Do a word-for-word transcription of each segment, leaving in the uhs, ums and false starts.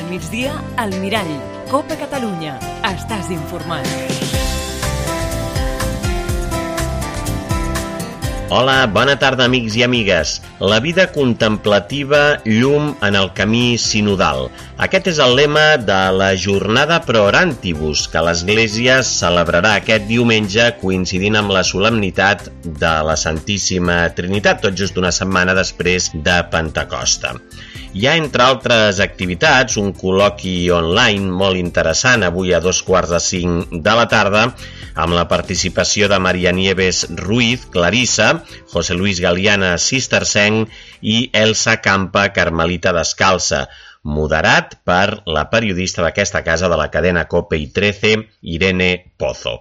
migdia, al Mirall. Copa Catalunya. Estàs informat. Hola, bona tarda, amics i amigues. La vida contemplativa, llum en el camí sinodal. Aquest és el lema de la jornada Pro Orantibus, que l'Església celebrarà aquest diumenge coincidint amb la solemnitat de la Santíssima Trinitat, tot just una setmana després de Pentecosta. Hi ha, entre altres activitats, un col·loqui online molt interessant avui a dos quarts de cinc de la tarda, amb la participació de Maria Nieves Ruiz, Clarissa, José Luis Galiana, cistercenc, i Elsa Campa, carmelita descalça, moderat per la periodista d'aquesta casa de la cadena COPE i trece, Irene Pozo.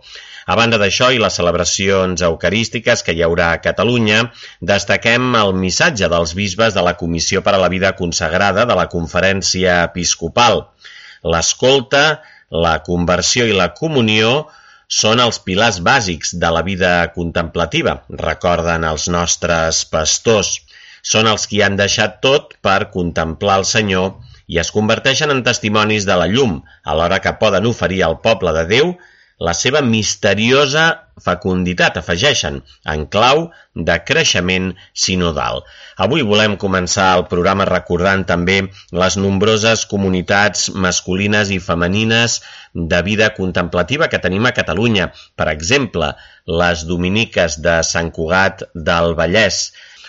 A banda d'això i les celebracions eucarístiques que hi haurà a Catalunya, destaquem el missatge dels bisbes de la Comissió per a la Vida Consagrada de la Conferència Episcopal. L'escolta, la conversió i la comunió són els pilars bàsics de la vida contemplativa, recorden els nostres pastors. Són els qui han deixat tot per contemplar el Senyor i es converteixen en testimonis de la llum, alhora que poden oferir al poble de Déu la seva misteriosa fecunditat, afegeixen, en clau de creixement sinodal. Avui volem començar el programa recordant també les nombroses comunitats masculines i femenines de vida contemplativa que tenim a Catalunya. Per exemple, les dominiques de Sant Cugat del Vallès,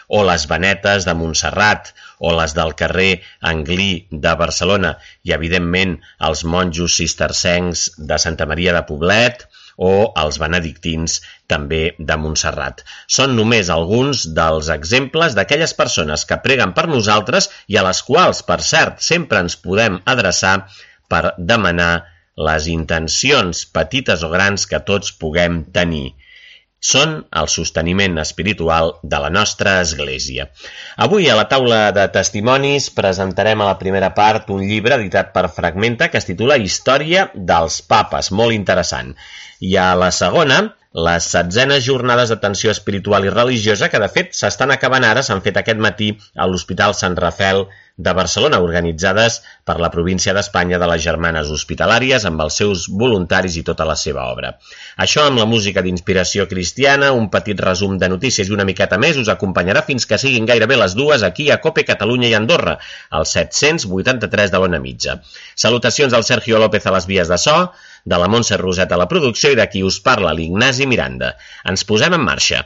o les Benetes de Montserrat, o les del carrer Anglí de Barcelona, i evidentment els monjos cistercencs de Santa Maria de Poblet, o els benedictins també de Montserrat. Són només alguns dels exemples d'aquelles persones que preguen per nosaltres i a les quals, per cert, sempre ens podem adreçar per demanar les intencions petites o grans que tots puguem tenir. Són el sosteniment espiritual de la nostra Església. Avui a la taula de testimonis presentarem a la primera part un llibre editat per Fragmenta que es titula Història dels Papes, molt interessant. I a la segona, les setzenes jornades d'atenció espiritual i religiosa que de fet s'estan acabant ara, s'han fet aquest matí a l'Hospital Sant Rafel de Barcelona, organitzades per la província d'Espanya de les Germanes Hospitalàries amb els seus voluntaris i tota la seva obra. Això amb la música d'inspiració cristiana, un petit resum de notícies i una miqueta més us acompanyarà fins que siguin gairebé les dues aquí a COPE Catalunya i Andorra, al set-cents vuitanta-tres de l'ona mitja. Salutacions del Sergio López a les vies de so, de la Montse Roset a la producció i de qui us parla, l'Ignasi Miranda. Ens posem en marxa.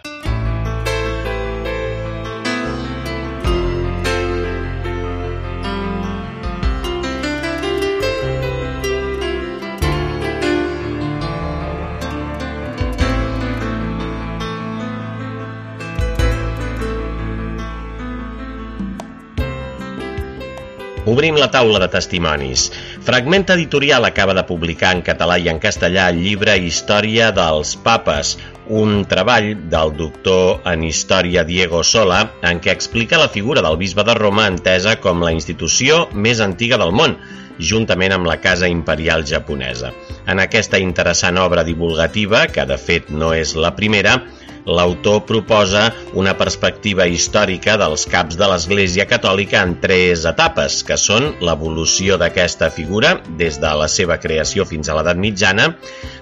Obrim la taula de testimonis. Fragmenta Editorial acaba de publicar en català i en castellà el llibre Història dels Papes, un treball del doctor en Història Diego Sola, en què explica la figura del bisbe de Roma entesa com la institució més antiga del món, juntament amb la Casa Imperial japonesa. En aquesta interessant obra divulgativa, que de fet no és la primera, l'autor proposa una perspectiva històrica dels caps de l'Església Catòlica en tres etapes, que són l'evolució d'aquesta figura des de la seva creació fins a l'edat mitjana,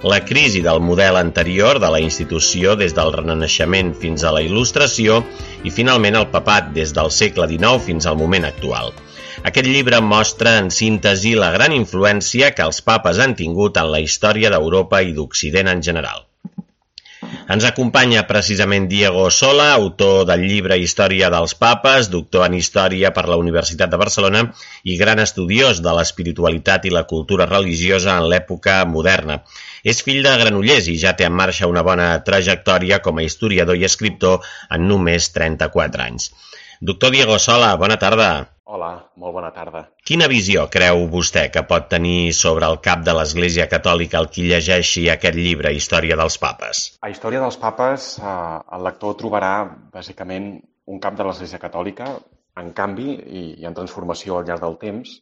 la crisi del model anterior de la institució des del Renaixement fins a la Il·lustració i finalment el papat des del segle dinou fins al moment actual. Aquest llibre mostra en síntesi la gran influència que els papes han tingut en la història d'Europa i d'Occident en general. Ens acompanya precisament Diego Sola, autor del llibre Història dels Papes, doctor en Història per la Universitat de Barcelona i gran estudiós de l'espiritualitat i la cultura religiosa en l'època moderna. És fill de Granollers i ja té en marxa una bona trajectòria com a historiador i escriptor en només trenta-quatre anys. Doctor Diego Sola, bona tarda. Hola, molt bona tarda. Quina visió creu vostè que pot tenir sobre el cap de l'Església Catòlica el qui llegeixi aquest llibre, Història dels Papes? A Història dels Papes, eh, el lector trobarà, bàsicament, un cap de l'Església Catòlica en canvi i, i en transformació al llarg del temps,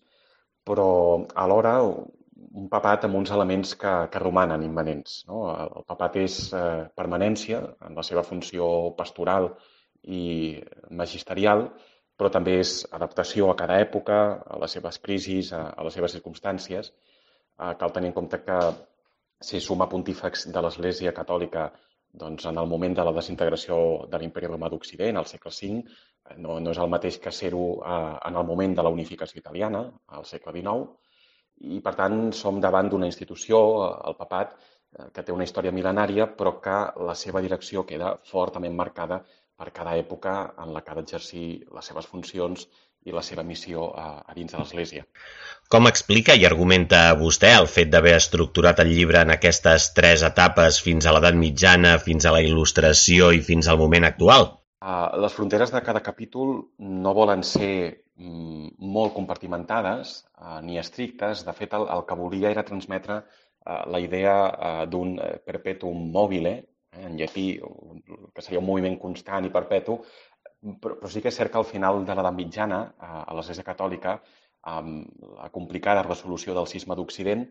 però alhora un papat amb uns elements que, que romanen immanents, no? El papat és eh, permanència en la seva funció pastoral i magisterial, però també és adaptació a cada època, a les seves crisis, a, a les seves circumstàncies. Eh, cal tenir en compte que si suma pontífex de l'Església Catòlica doncs, en el moment de la desintegració de l'Imperi Romà d'Occident, al segle cinc, no, no és el mateix que ser-ho eh, en el moment de la unificació italiana, al segle dinou, i per tant som davant d'una institució, el papat, que té una història mil·lenària, però que la seva direcció queda fortament marcada per cada època en la que ha d'exercir les seves funcions i la seva missió a, a dins de l'Església. Com explica i argumenta vostè el fet d'haver estructurat el llibre en aquestes tres etapes fins a l'edat mitjana, fins a la il·lustració i fins al moment actual? Uh, les fronteres de cada capítol no volen ser mm, molt compartimentades uh, ni estrictes. De fet, el, el que volia era transmetre uh, la idea uh, d'un perpetuum mobile, eh, en llatí, que seria un moviment constant i perpetu, però, però sí que és cert que al final de l'edat mitjana, uh, a l'Església Catòlica, amb la complicada resolució del cisma d'Occident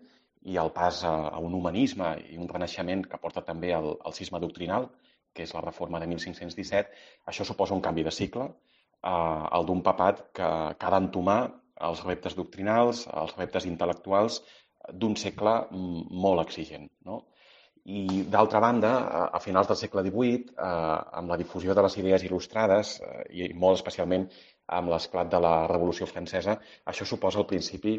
i el pas a, a un humanisme i un renaixement que porta també al, al cisma doctrinal, que és la reforma de mil cinc-cents disset, això suposa un canvi de cicle, eh, el d'un papat que, que ha d'entomar els reptes doctrinals, els reptes intel·lectuals d'un segle molt exigent, no? I, d'altra banda, a finals del segle divuit, eh, amb la difusió de les idees il·lustrades, eh, i molt especialment amb l'esclat de la Revolució Francesa, això suposa el principi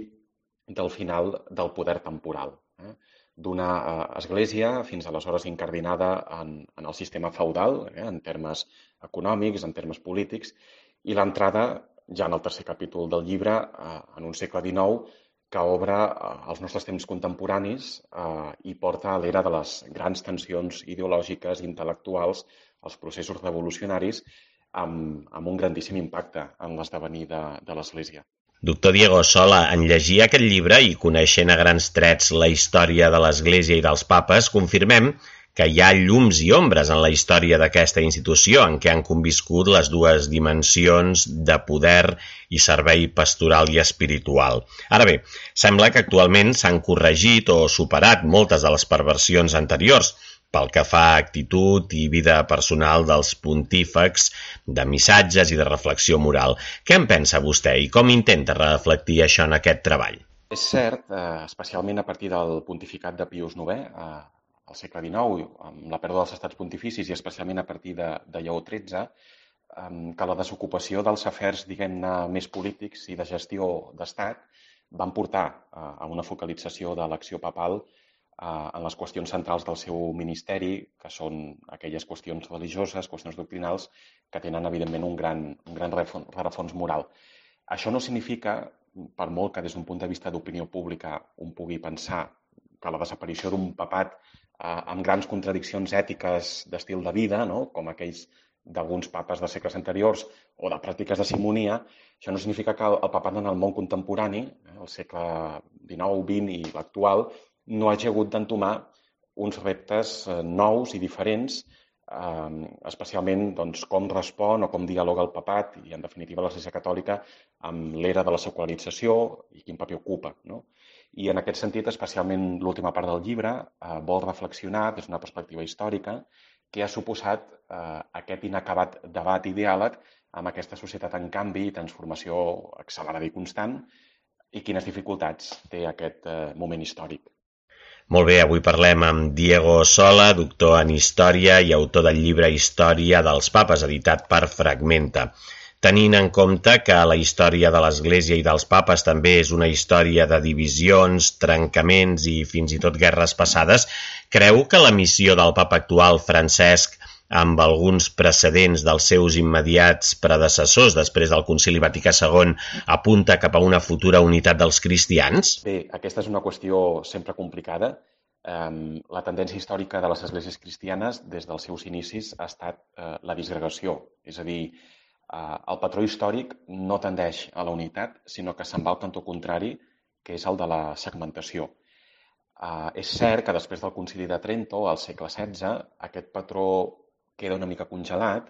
del final del poder temporal, eh? D'una eh, església fins aleshores incardinada en, en el sistema feudal, eh, en termes econòmics, en termes polítics, i l'entrada, ja en el tercer capítol del llibre, eh, en un segle dinou, que obre eh, els nostres temps contemporanis eh, i porta a l'era de les grans tensions ideològiques, intel·lectuals, els processos revolucionaris, amb, amb un grandíssim impacte en l'esdevenir de, de l'Església. Doctor Diego Sola, en llegir aquest llibre i coneixent a grans trets la història de l'Església i dels papes, confirmem que hi ha llums i ombres en la història d'aquesta institució en què han conviscut les dues dimensions de poder i servei pastoral i espiritual. Ara bé, sembla que actualment s'han corregit o superat moltes de les perversions anteriors, pel que fa a actitud i vida personal dels pontífex, de missatges i de reflexió moral. Què en pensa vostè i com intenta reflectir això en aquest treball? És cert, eh, especialment a partir del pontificat de Pius novè, eh, al segle dinou, amb la pèrdua dels estats pontificis i especialment a partir de, de Lleó tretze, eh, que la desocupació dels afers, diguem-ne, més polítics i de gestió d'estat van portar eh, a una focalització de l'acció papal en les qüestions centrals del seu ministeri, que són aquelles qüestions religioses, qüestions doctrinals, que tenen, evidentment, un gran, un gran rerefons moral. Això no significa, per molt que des d'un punt de vista d'opinió pública un pugui pensar que la desaparició d'un papat eh, amb grans contradiccions ètiques d'estil de vida, no? Com aquells d'alguns papes de segles anteriors o de pràctiques de simonia, això no significa que el, el papat en el món contemporani, eh, el segle dinou, vint i l'actual, no hagi hagut d'entomar uns reptes eh, nous i diferents, eh, especialment doncs, com respon o com dialoga el papat i, en definitiva, l'Església Catòlica amb l'era de la secularització i quin paper ocupa, no? I en aquest sentit, especialment l'última part del llibre, eh, vol reflexionar des d'una perspectiva històrica què ha suposat eh, aquest inacabat debat i diàleg amb aquesta societat en canvi i transformació accelerada i constant i quines dificultats té aquest eh, moment històric. Molt bé, avui parlem amb Diego Sola, doctor en Història i autor del llibre Història dels Papes, editat per Fragmenta. Tenint en compte que la història de l'Església i dels papes també és una història de divisions, trencaments i fins i tot guerres passades, creu que la missió del papa actual, Francesc, amb alguns precedents dels seus immediats predecessors després del Concili Vaticà segon, apunta cap a una futura unitat dels cristians? Bé, aquesta és una qüestió sempre complicada. Um, la tendència històrica de les esglésies cristianes des dels seus inicis ha estat uh, la disgregació. És a dir, uh, el patró històric no tendeix a la unitat, sinó que se'n va al cantó contrari, que és el de la segmentació. Uh, és cert que després del Concili de Trento, al segle setze, aquest patró queda una mica congelat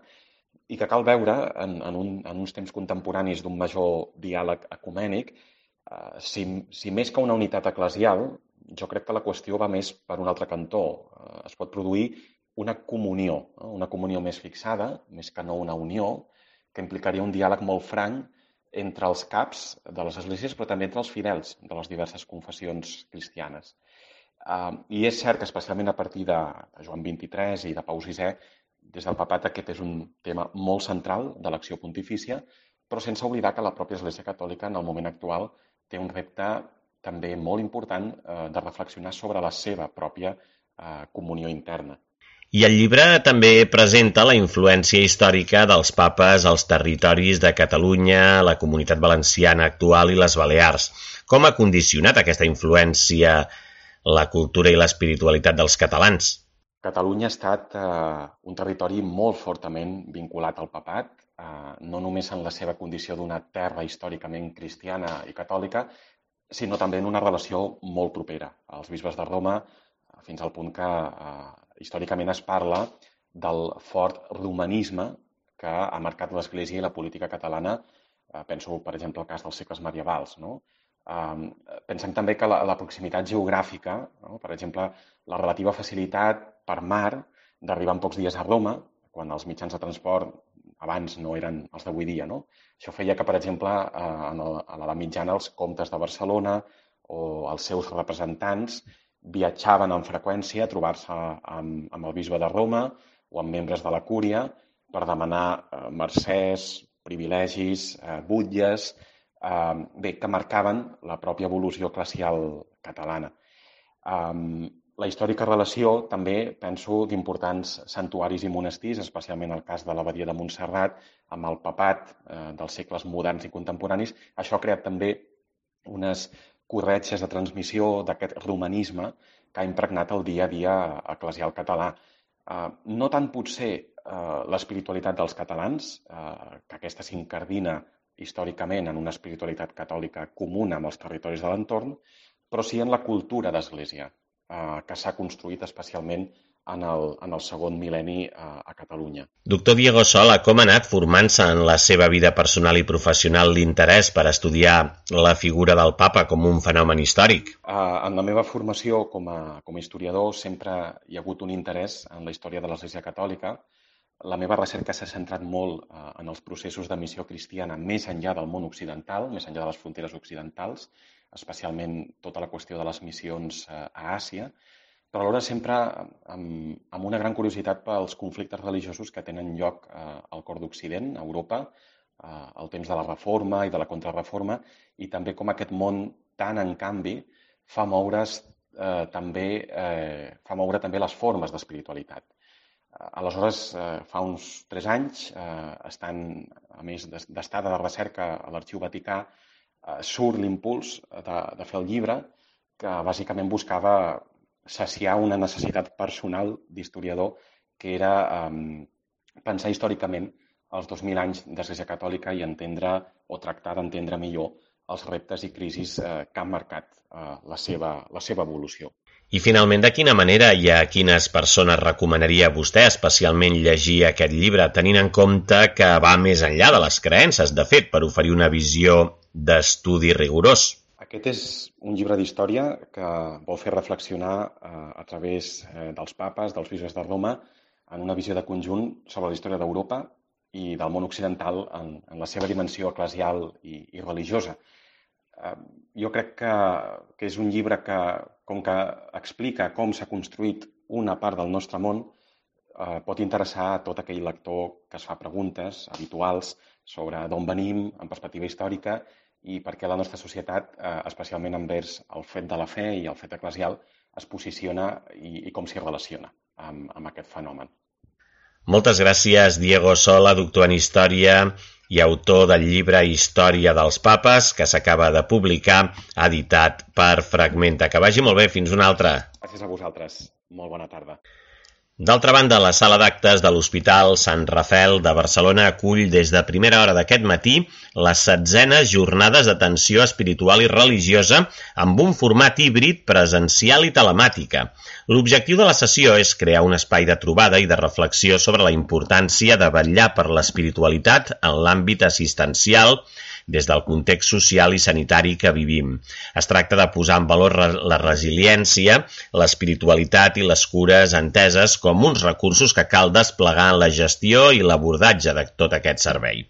i que cal veure en, en, un, en uns temps contemporanis d'un major diàleg ecumènic, eh, si, si més que una unitat eclesial, jo crec que la qüestió va més per un altre cantó. Eh, es pot produir una comunió, eh, una comunió més fixada, més que no una unió, que implicaria un diàleg molt franc entre els caps de les esglésies, però també entre els fidels de les diverses confessions cristianes. Uh, I és cert que especialment a partir de, de Joan vint-i-tres i de Pau sisè, des del papat aquest és un tema molt central de l'acció pontifícia, però sense oblidar que la pròpia Església Catòlica en el moment actual té un repte també molt important eh, de reflexionar sobre la seva pròpia eh, comunió interna. I el llibre també presenta la influència històrica dels papes als territoris de Catalunya, la Comunitat Valenciana actual i les Balears. Com ha condicionat aquesta influència la cultura i l'espiritualitat dels catalans? Catalunya ha estat eh, un territori molt fortament vinculat al papat, eh, no només en la seva condició d'una terra històricament cristiana i catòlica, sinó també en una relació molt propera als bisbes de Roma, fins al punt que eh, històricament es parla del fort romanisme que ha marcat l'Església i la política catalana. Eh, penso, per exemple, al cas dels segles medievals, no? Um, pensem també que la, la proximitat geogràfica, no? Per exemple, la relativa facilitat per mar d'arribar en pocs dies a Roma, quan els mitjans de transport abans no eren els d'avui dia, no? Això feia que, per exemple, en el, a l'edat mitjana els comtes de Barcelona o els seus representants viatjaven amb freqüència a trobar-se amb, amb el bisbe de Roma o amb membres de la cúria per demanar eh, mercès, privilegis, eh, butlles, eh, bé, que marcaven la pròpia evolució eclesial catalana. Um, la històrica relació també, penso, d'importants santuaris i monestirs, especialment el cas de l'abadia de Montserrat, amb el papat eh, dels segles moderns i contemporanis. Això ha creat també unes corretges de transmissió d'aquest romanisme que ha impregnat el dia a dia eclesial català. Eh, no tant potser eh, l'espiritualitat dels catalans, eh, que aquesta s'incardina històricament en una espiritualitat catòlica comuna amb els territoris de l'entorn, però sí en la cultura d'Església, eh, que s'ha construït especialment en el, en el segon mil·lenni eh, a Catalunya. Doctor Diego Sola, com ha anat formant-se en la seva vida personal i professional l'interès per estudiar la figura del papa com un fenomen històric? Eh, en la meva formació com a, com a historiador sempre hi ha hagut un interès en la història de l'Església Catòlica. La meva recerca s'ha centrat molt eh, en els processos de missió cristiana més enllà del món occidental, més enllà de les fronteres occidentals, especialment tota la qüestió de les missions eh, a Àsia, però alhora sempre amb, amb una gran curiositat pels conflictes religiosos que tenen lloc eh, al cor d'Occident, a Europa, eh, al temps de la Reforma i de la Contrarreforma, i també com aquest món tan en canvi fa moure's eh, també, eh, fa moure també les formes d'espiritualitat. Aleshores, eh, fa uns tres anys, eh, estant, a més d'estada de recerca a l'Arxiu Vaticà, eh, surt l'impuls de, de fer el llibre, que bàsicament buscava saciar una necessitat personal d'historiador, que era eh, pensar històricament els dos mil anys d'Església Catòlica i entendre o tractar d'entendre millor els reptes i crisis eh, que han marcat eh, la seva, la seva evolució. I finalment, de quina manera i a quines persones recomanaria vostè especialment llegir aquest llibre, tenint en compte que va més enllà de les creences, de fet, per oferir una visió d'estudi rigorós? Aquest és un llibre d'història que vol fer reflexionar eh, a través eh, dels papes, dels bisbes de Roma, en una visió de conjunt sobre la història d'Europa i del món occidental en, en la seva dimensió eclesial i, i religiosa. Eh, jo crec que, que és un llibre que, com que explica com s'ha construït una part del nostre món, eh, pot interessar a tot aquell lector que es fa preguntes habituals sobre d'on venim, en perspectiva històrica, i per què la nostra societat, eh, especialment envers el fet de la fe i el fet eclesial, es posiciona i, i com s'hi relaciona amb, amb aquest fenomen. Moltes gràcies, Diego Sola, doctor en Història i autor del llibre Història dels Papes, que s'acaba de publicar, editat per Fragmenta. Que vagi molt bé, fins una altra. Gràcies a vosaltres. Molt bona tarda. D'altra banda, la sala d'actes de l'Hospital Sant Rafel de Barcelona acull des de primera hora d'aquest matí les setzenes jornades d'atenció espiritual i religiosa amb un format híbrid presencial i telemàtica. L'objectiu de la sessió és crear un espai de trobada i de reflexió sobre la importància de vetllar per l'espiritualitat en l'àmbit assistencial des del context social i sanitari que vivim. Es tracta de posar en valor la resiliència, l'espiritualitat i les cures enteses com uns recursos que cal desplegar en la gestió i l'abordatge de tot aquest servei.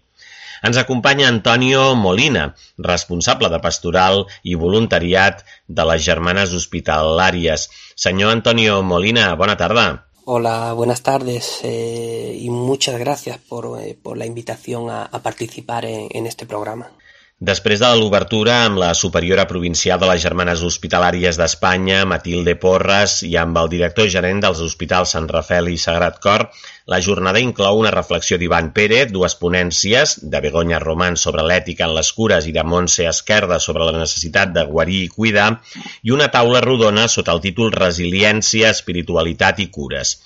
Ens acompanya Antonio Molina, responsable de pastoral i voluntariat de les Germanes Hospitalàries. Senyor Antonio Molina, bona tarda. Hola, buenas tardes eh, y muchas gracias por, eh, por la invitación a, a participar en, en este programa. Després de l'obertura amb la superiora provincial de les Germanes Hospitalàries d'Espanya, Matilde Porras, i amb el director gerent dels hospitals Sant Rafel i Sagrat Cor, la jornada inclou una reflexió d'Ivan Pérez, dues ponències, de Begoña Román sobre l'ètica en les cures i de Montse Esquerda sobre la necessitat de guarir i cuidar, i una taula rodona sota el títol Resiliència, Espiritualitat i Cures.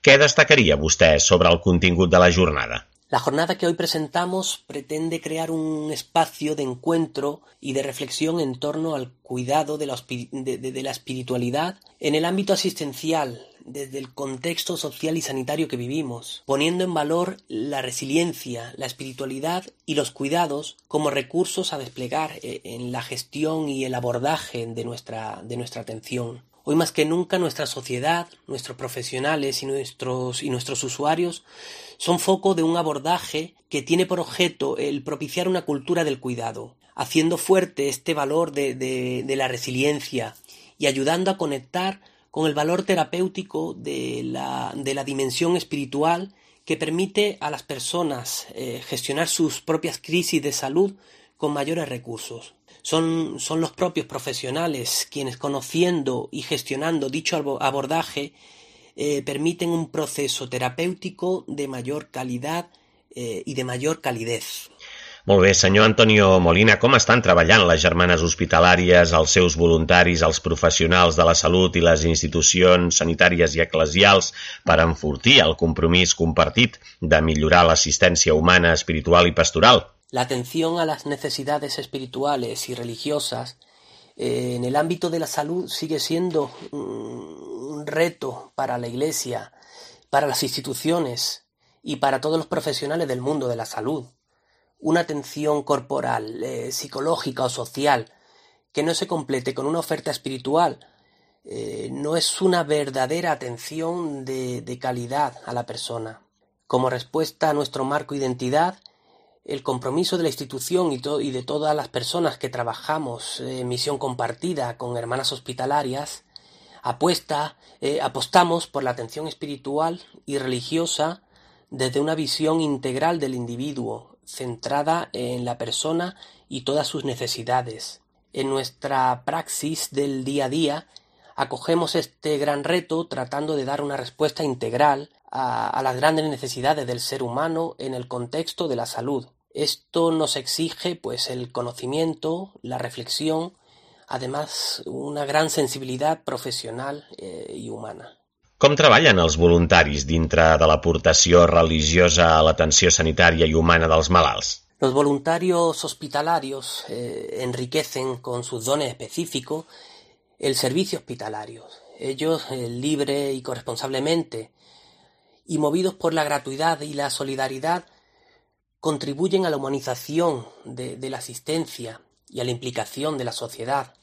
Què destacaria vostè sobre el contingut de la jornada? La jornada que hoy presentamos pretende crear un espacio de encuentro y de reflexión en torno al cuidado de la, de, de, de la espiritualidad en el ámbito asistencial, desde el contexto social y sanitario que vivimos, poniendo en valor la resiliencia, la espiritualidad y los cuidados como recursos a desplegar en la gestión y el abordaje de nuestra, de nuestra atención. Hoy más que nunca nuestra sociedad, nuestros profesionales y nuestros, y nuestros usuarios son foco de un abordaje que tiene por objeto el propiciar una cultura del cuidado, haciendo fuerte este valor de, de, de la resiliencia y ayudando a conectar con el valor terapéutico de la, de la dimensión espiritual que permite a las personas eh, gestionar sus propias crisis de salud con mayores recursos. Son, son los propios profesionales quienes, conociendo y gestionando dicho abordaje, eh, permiten un proceso terapéutico de mayor calidad eh, i de major calidez. Molt bé, senyor Antonio Molina, com estan treballant les Germanes Hospitalàries, els seus voluntaris, els professionals de la salut i les institucions sanitàries i eclesials per enfortir el compromís compartit de millorar l'assistència humana, espiritual i pastoral? La atención a las necesidades espirituales y religiosas eh, en el ámbito de la salud sigue siendo un reto para la Iglesia, para las instituciones y para todos los profesionales del mundo de la salud. Una atención corporal, eh, psicológica o social que no se complete con una oferta espiritual eh, no es una verdadera atención de, de calidad a la persona. Como respuesta a nuestro marco de identidad, el compromiso de la institución y, to- y de todas las personas que trabajamos en misión compartida con hermanas hospitalarias, apuesta, eh, apostamos por la atención espiritual y religiosa desde una visión integral del individuo, centrada en la persona y todas sus necesidades. En nuestra praxis del día a día, acogemos este gran reto tratando de dar una respuesta integral a, a las grandes necesidades del ser humano en el contexto de la salud. Esto nos exige pues el conocimiento, la reflexión, además una gran sensibilitat professional eh, i humana. Com treballen els voluntaris dintre de l'aportació religiosa a l'atenció sanitària i humana dels malalts? Los voluntarios hospitalarios eh, enriquecen con sus dones específicos el servicio hospitalario. Ellos, eh, libre y corresponsablemente, y movidos por la gratuidad y la solidaridad, contribuyen a la humanización de, de la asistencia y a la implicación de la sociedad.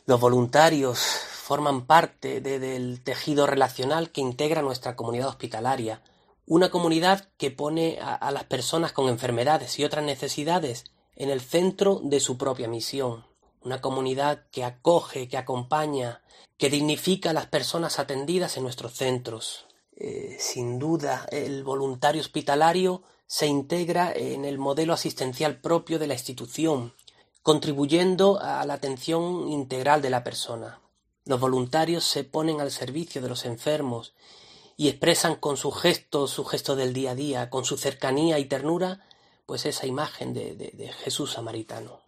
Los voluntarios forman parte de, del tejido relacional que integra nuestra comunidad hospitalaria, una comunidad que pone a, a las personas con enfermedades y otras necesidades en el centro de su propia misión, una comunidad que acoge, que acompaña, que dignifica a las personas atendidas en nuestros centros. Eh, sin duda, el voluntario hospitalario se integra en el modelo asistencial propio de la institución, contribuyendo a la atención integral de la persona. Los voluntarios se ponen al servicio de los enfermos y expresan con sus gestos, su gesto del día a día, con su cercanía y ternura, pues esa imagen de, de, de Jesús samaritano.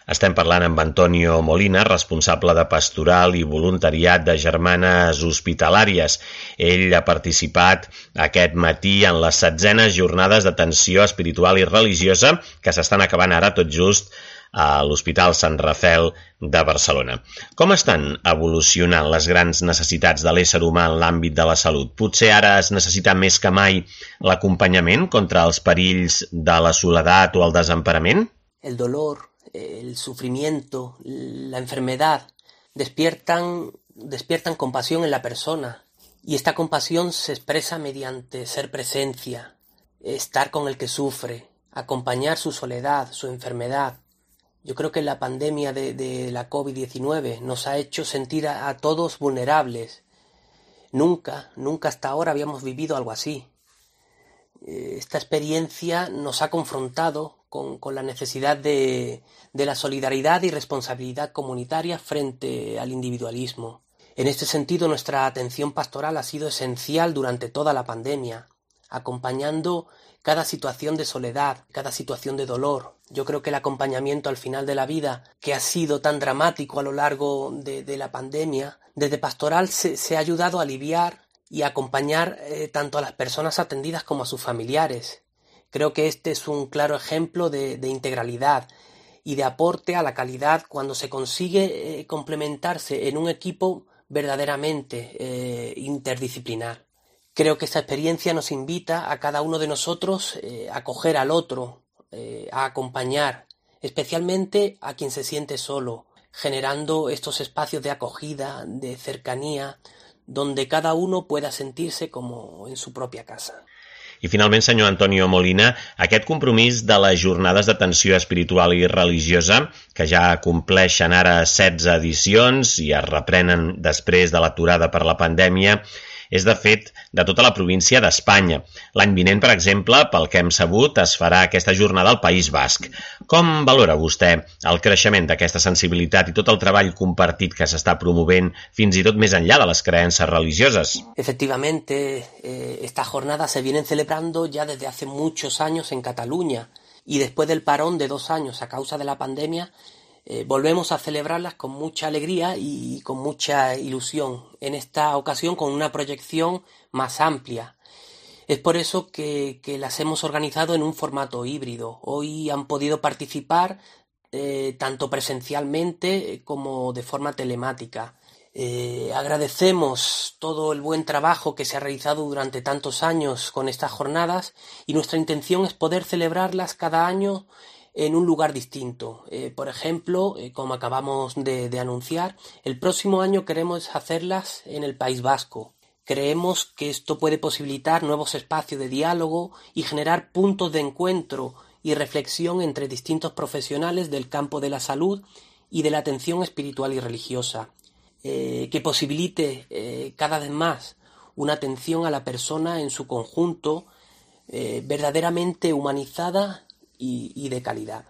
Estem parlant amb Antonio Molina, responsable de pastoral i voluntariat de Germanes Hospitalàries. Ell ha participat aquest matí en les setzenes jornades d'atenció espiritual i religiosa que s'estan acabant ara tot just a l'Hospital Sant Rafel de Barcelona. Com estan evolucionant les grans necessitats de l'ésser humà en l'àmbit de la salut? Potser ara es necessita més que mai l'acompanyament contra els perills de la soledat o el desemparament? El dolor, el sufrimiento, la enfermedad despiertan, despiertan compasión en la persona, y esta compasión se expresa mediante ser presencia, estar con el que sufre, acompañar su soledad, su enfermedad. Yo creo que la pandemia de, de la COVID diecinueve nos ha hecho sentir a, a todos vulnerables. Nunca, nunca hasta ahora habíamos vivido algo así. Esta experiencia nos ha confrontado con, con la necesidad de, de la solidaridad y responsabilidad comunitaria frente al individualismo. En este sentido, nuestra atención pastoral ha sido esencial durante toda la pandemia, acompañando cada situación de soledad, cada situación de dolor. Yo creo que el acompañamiento al final de la vida, que ha sido tan dramático a lo largo de, de la pandemia, desde pastoral se, se ha ayudado a aliviar y a acompañar eh, tanto a las personas atendidas como a sus familiares. Creo que este es un claro ejemplo de, de integralidad y de aporte a la calidad cuando se consigue eh, complementarse en un equipo verdaderamente eh, interdisciplinar. Creo que esta experiencia nos invita a cada uno de nosotros eh, a acoger al otro, eh, a acompañar, especialmente a quien se siente solo, generando estos espacios de acogida, de cercanía, donde cada uno pueda sentirse como en su propia casa. I finalment, senyor Antonio Molina, aquest compromís de les jornades d'atenció espiritual i religiosa, que ja compleixen ara setze edicions i es reprenen després de l'aturada per la pandèmia, és de fet de tota la província d'Espanya. L'any vinent, per exemple, pel que hem sabut, es farà aquesta jornada al País Basc. Com valora vostè el creixement d'aquesta sensibilitat i tot el treball compartit que s'està promovent fins i tot més enllà de les creences religioses? Efectivamente, eh, estas jornadas se vienen celebrando ya desde hace muchos años en Cataluña y después del parón de dos años a causa de la pandemia, Eh, volvemos a celebrarlas con mucha alegría y con mucha ilusión, en esta ocasión con una proyección más amplia. Es por eso que, que las hemos organizado en un formato híbrido. Hoy han podido participar eh, tanto presencialmente como de forma telemática. Eh, agradecemos todo el buen trabajo que se ha realizado durante tantos años con estas jornadas y nuestra intención es poder celebrarlas cada año en un lugar distinto. Eh, por ejemplo, eh, como acabamos de, de anunciar, el próximo año queremos hacerlas en el País Vasco. Creemos que esto puede posibilitar nuevos espacios de diálogo y generar puntos de encuentro y reflexión entre distintos profesionales del campo de la salud y de la atención espiritual y religiosa, eh, que posibilite eh, cada vez más una atención a la persona en su conjunto, eh, verdaderamente humanizada i de calidad.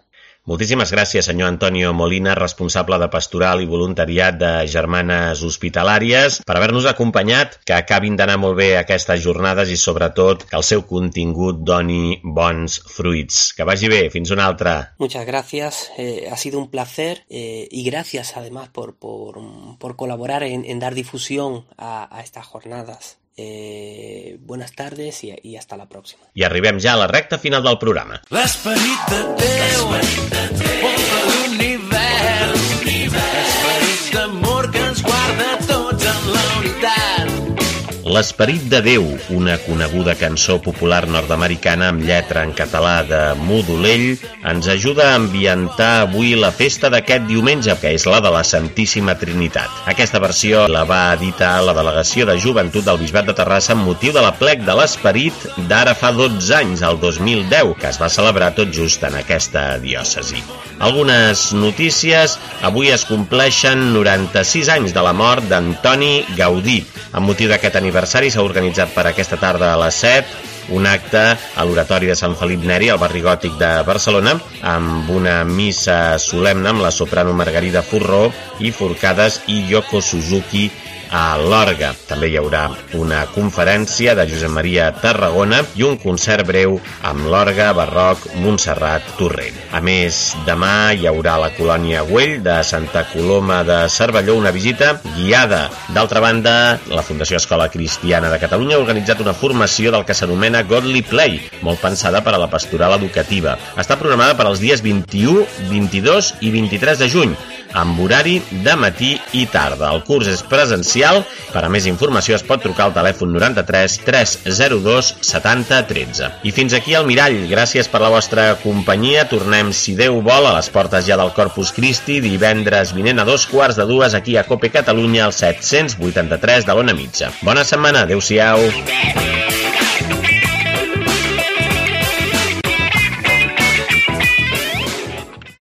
Moltíssimes gràcies, senyor Antonio Molina, responsable de Pastoral i Voluntariat de Germanes Hospitalàries, per haver-nos acompanyat, que acabin d'anar molt bé aquestes jornades i, sobretot, que el seu contingut doni bons fruits. Que vagi bé, fins una altra. Muchas gracias, eh, ha sido un placer eh, y gracias además por, por, por colaborar en, en dar difusión a, a estas jornadas. Eh, buenas tardes y, y hasta la próxima. I arribem ja a la recta final del programa. L'esperit de Déu omple l'univers, l'esperit d'amor que ens guarda tots en la unitat. L'esperit de Déu, una coneguda cançó popular nord-americana amb lletra en català de Modolell, ens ajuda a ambientar avui la festa d'aquest diumenge, que és la de la Santíssima Trinitat. Aquesta versió la va editar la Delegació de Joventut del Bisbat de Terrassa amb motiu de l'aplec de l'Esperit d'ara fa dotze anys, el dos mil deu, que es va celebrar tot just en aquesta diòcesi. Algunes notícies. Avui es compleixen noranta-sis anys de la mort d'Antoni Gaudí. Amb motiu d'aquest aniversari s'ha organitzat per aquesta tarda a les set un acte a l'Oratori de Sant Felip Neri, al barri gòtic de Barcelona, amb una missa solemne amb la soprano Margarida Forró i Forcades i Yoko Suzuki a l'orgue. També hi haurà una conferència de Josep Maria Tarragona i un concert breu amb l'orgue barroc Montserrat Torrent. A més, demà hi haurà a la colònia Güell de Santa Coloma de Cervelló una visita guiada. D'altra banda, la Fundació Escola Cristiana de Catalunya ha organitzat una formació del que s'anomena Godly Play, molt pensada per a la pastoral educativa. Està programada per als dies vint-i-u, vint-i-dos i vint-i-tres de juny, amb horari de matí i tarda. El curs és presencial. Per a més informació es pot trucar al telèfon noranta-tres tres zero dos setanta tretze. I fins aquí el Mirall. Gràcies per la vostra companyia. Tornem, si Déu vol, a les portes ja del Corpus Christi divendres vinent a dos quarts de dues aquí a Cope Catalunya, al set-cents vuitanta-tres de l'Ona Mitja. Bona setmana. Adéu-siau.